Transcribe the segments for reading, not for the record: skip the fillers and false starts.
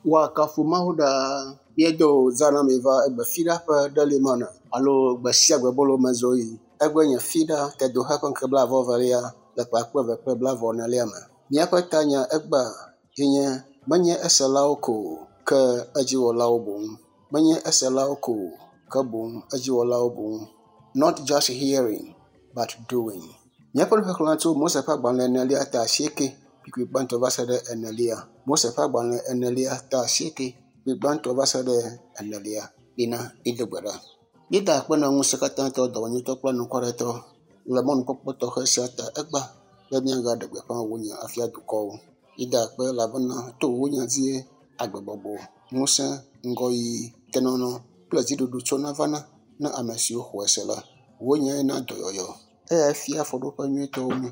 Woakafu Mawu ɖaa. Míedo zã na mi va egbe fiɖa ƒe ɖelimana alo gbe sia gbe bolo me zoɣi. Egbe nye fiɖa tedoxe ƒe ŋkeke blaeve-vɔ-evelia le ƒe akpe eve kple blaeve-enelia me. Míaƒe tanya egbea ye nye menye eselawo ko o, ke edziwɔlawo boŋ. Menye eselawo ko o, ke boŋ edziwɔlawo boŋ. Not just hearing, but doing. Míaƒe nuxexlẽ tso Mose ƒe agbalẽ enelia ta asieke kpukpui gbãtɔ va se ɖe enelia. Mose ƒe agbalẽ enelia ta asieke kpukpui gbãtɔ va se ɖe enelia. Mina mído gbe ɖa. Míeda akpe na ŋusẽkatãtɔ, dɔmenyotɔ kple anukwaretɔ le mɔnukpɔkpɔ tɔxɛ sia ta egbea be míagaɖe gbeƒã wò nya afia dukɔwo. Míeda akpe elabena to wò nya dzie agbegbɔgbɔ, ŋusẽ, ŋgɔyiyi, tenɔnɔ kple dziɖuɖu tsona vana na ame siwo xɔe se la. Wò nyae na dɔyɔyɔ. Eyae fia afɔɖoƒe nyuitɔwo mí.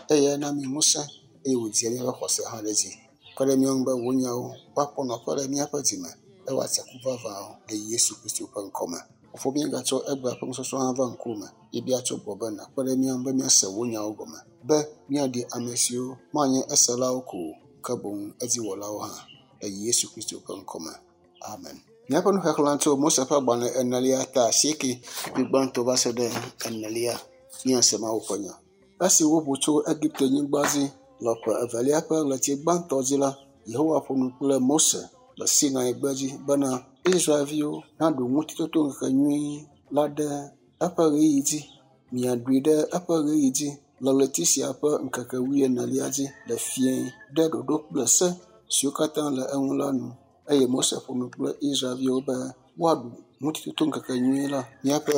Eyae na mí ŋusẽ eye wòdzia míaƒe xɔse hã ɖe edzi. Kpe ɖe mía ŋu be wò nyawo woakpɔ nɔƒe le míaƒe dzime be woatse ku vavãwo le Yesu Kristo ƒe ŋkɔme. Fofo míegatsɔ egbea ƒe nusɔsrɔ̃ hã va ŋkuwòme. Míebia tso gbɔwò be nàkpe ɖe mía ŋu be míase wò nyawo gɔme be míaɖi ame siwo manye eselawo ko o, ke boŋ edziwɔlawo hã le Yesu Kristo ƒe ŋkɔme. Amen. Míaƒe nuxexlẽ tso Mose ƒe agbalẽ enelia ta asieke kpukpui gbãtɔ va se ɖe enelia. Míase Mawu ƒe nya. Esi woʋu tso Egipte-nyigba dzi le ƒe evelia ƒe ɣleti gbãtɔ dzi la, Yehowa ƒo nu kple Mose le Sinai gbedzi bena Israelviwo naɖu Ŋutitotoŋkekenyui la ɖe eƒe ɣeyiɣi dzi. Miaɖui ɖe eƒe ɣeyiɣi dzi le ɣleti sia ƒe ŋkeke wuienelia dzi le fiẽ ɖe ɖoɖo kple se siwo katã le eŋu la nu. Eye Mose ƒo nu kple Israelviwo be woaɖu Ŋutitotoŋkekenyui la. Míaƒe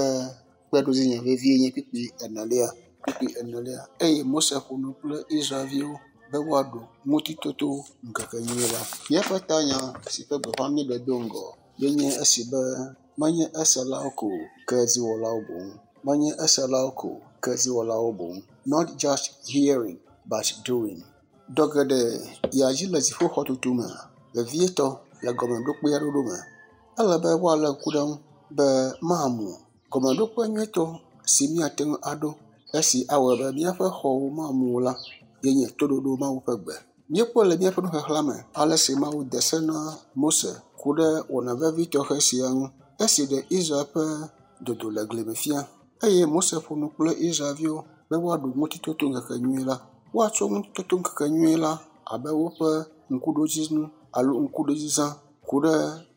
kpeɖodzinya vevie nye kpukpui enelia. Kpukpui enelia. Eye Mose ƒo nu kple Israelviwo be woaɖu Ŋutitotoŋkekenyui la. Míaƒe tanya si ƒe gbeƒã míeɖe do ŋgɔ ye nye esi be menye eselawo ko o, ke edziwɔlawo boŋ. Menye eselawo ko o, ke edziwɔlawo boŋ. Not just hearing, but doing. Dɔ geɖe yia dzi le dziƒoxɔtutu me, vevietɔ le gɔmeɖokpea ɖoɖo me. Ele be woalé ŋku ɖe eŋu be mamu o. Gɔmeɖokpe nyuitɔ si míate ŋu aɖo esi awɔe be míaƒe xɔwo mamu o la ye nye toɖoɖo Mawu ƒe gbe. Míekpɔe le míaƒe nuxexlẽa me ale si Mawu de se na Mose ku ɖe wɔna vevi tɔxɛ sia ŋu esi ɖe Israel ƒe dodo le gli me fia. Eye Mose ƒo nu kple Israelviwo be woaɖu Ŋutitotoŋkekenyui la. Woatsɔ Ŋutitotoŋkekenyui la abe woƒe ŋkuɖodzinu alo ŋkuɖodzizã ku ɖe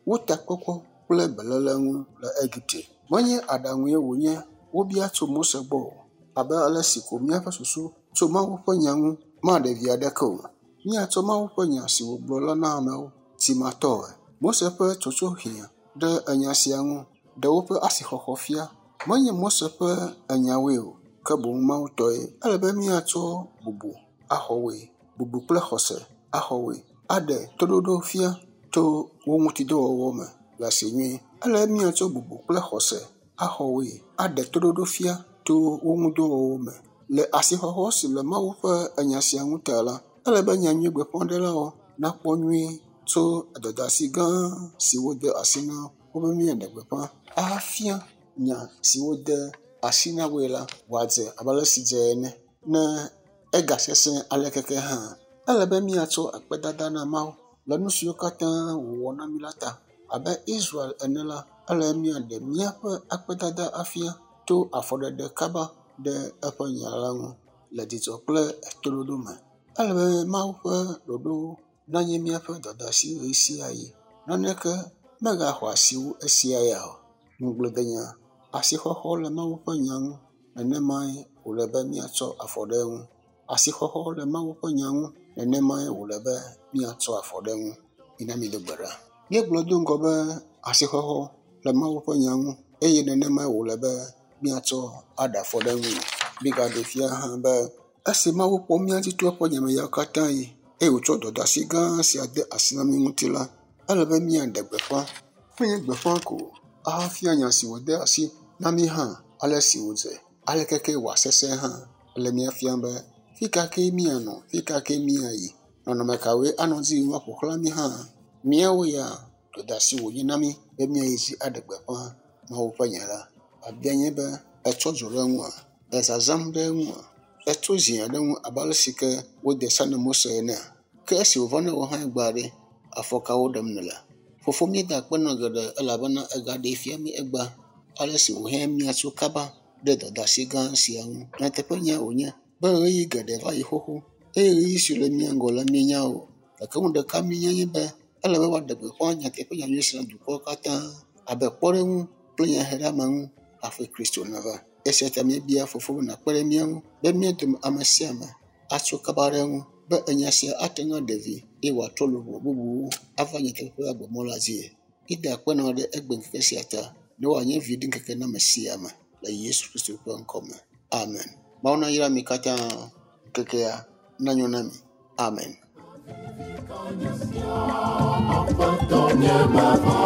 wo takpɔkpɔ kple beléle ŋu le Egipte. Menye aɖaŋue wònye wobia tso Mose gbɔ o, abe ale si ko míaƒe susu tso Mawu ƒe nya ŋu maɖe vi aɖeke o. Míatsɔ Mawu ƒe nya si wògblɔ la na amewo timatɔe. Mose ƒe tsotso hiã ɖe enya sia ŋu ɖe woƒe asixɔxɔ fia. Menye Mose ƒe enyawoe o, ke boŋ Mawu tɔe. Ele be míatsɔ bubu axɔ woe, bubu kple xɔse axɔ woe, aɖe toɖoɖo fia to wo ŋutidɔwɔwɔ me le asi nyuie. Ele be míatsɔ bubu kple xɔse axɔ woe, aɖe toɖoɖo fia to wo ŋudɔwɔwɔ me. Le asixɔxɔ si le Mawu ƒe enya sia ŋu ta la, ele be nyanyuigbeƒãɖelawo nakpɔ nyuie tso dɔdeasi gã si wode asi na wo be míaɖe gbeƒã ahafia nya si wode asi na woe la wòadze abe ale si dze ene. Ne egasesẽ alekeke hã, ele be míatsɔ akpedada na Mawu le nu siwo katã wòwɔ na mí la ta. Abe Israel ene la, ele be míaɖe míaƒe akpedada afia to afɔɖeɖe kaba ɖe eƒe nya la ŋu le dzidzɔ kple toɖoɖo me. Ele be Mawu ƒe ɖoɖowo nanye míaƒe dɔdeasi ɣesiaɣi. Naneke megaxɔ asi wu esia ya o. Ŋugbledenya, asixɔxɔ le Mawu ƒe nya ŋu nenemae wòle be míatsɔ afɔ ɖe eŋu. Asixɔxɔ le Mawu ƒe nya ŋu nenemae wòle be míatsɔ afɔ ɖe eŋu. Mina mído gbe ɖa. Míegblɔ do ŋgɔ be asixɔxɔ le Mawu ƒe nya ŋu eye nenemae wòle be míatsɔ aɖe afɔ ɖe eŋui. Mígaɖee fia hã be esi Mawu kpɔ mía dzi to eƒe nya me ɣeawo katã ɣi eye wòtsɔ dɔdeasi gã sia de asi na mí ŋuti la, ele be míaɖe gbeƒã. Menye gbeƒã ko o, ahafia nya si wòde asi na mí hã ale si wòdze, aleke ke wòasesẽ hã. Ele mía fiam be fi ka kee míanɔ, fi ka kee míayi, nɔnɔme kawoe anɔ edzi yim woaƒo xlã mí hã. Míawo ya dɔdeasi wònye na mí be míayi edzi aɖe gbeƒã Mawu ƒe nya la. Biabia nye be ètsɔ dzo ɖe eŋua? Èzazãm ɖe eŋua? Ètso zia ɖe eŋu abe ale si ke wode se na Mose enea? Ke esi wòva na wò hã egbea ɖe, Afɔ kawo ɖem nèle? Fofo míeda akpe nɔ geɖe elabena ègaɖee fia mí egbea ale si wòhiã míatso kaba ɖe dɔdeasi gã sia ŋu. Nyateƒenya wònye be ɣeyiɣi geɖe va yi xoxo eye ɣeyiɣi si le mía ŋgɔ la míenya o. Gake nu ɖeka míenya nye be ele be woaɖe gbeƒã nyateƒe nyanyui sia na dukɔwo katã abe kpɔɖeŋu kple nyaheɖeameŋu hafi Kristo nava. Esia ta míebia Fofo be nàkpe ɖe mía ŋu be mía dome ame sia ame atso kaba ɖe eŋu be enya sia ate ŋu aɖe vi eye wòatrɔ luʋɔ bubuwo ava nyateƒe ƒe agbemɔ la dzie. Míeda akpe na wò ɖe egbeŋkeke sia ta ne wòanye viɖiŋkeke na ame sia ame le Yesu Kristo ƒe ŋkɔ me. Amen. Mawu nayra mi katã. Ŋkekea nanyo na mi. Amen. Aƒetɔ nye mevɔ̃.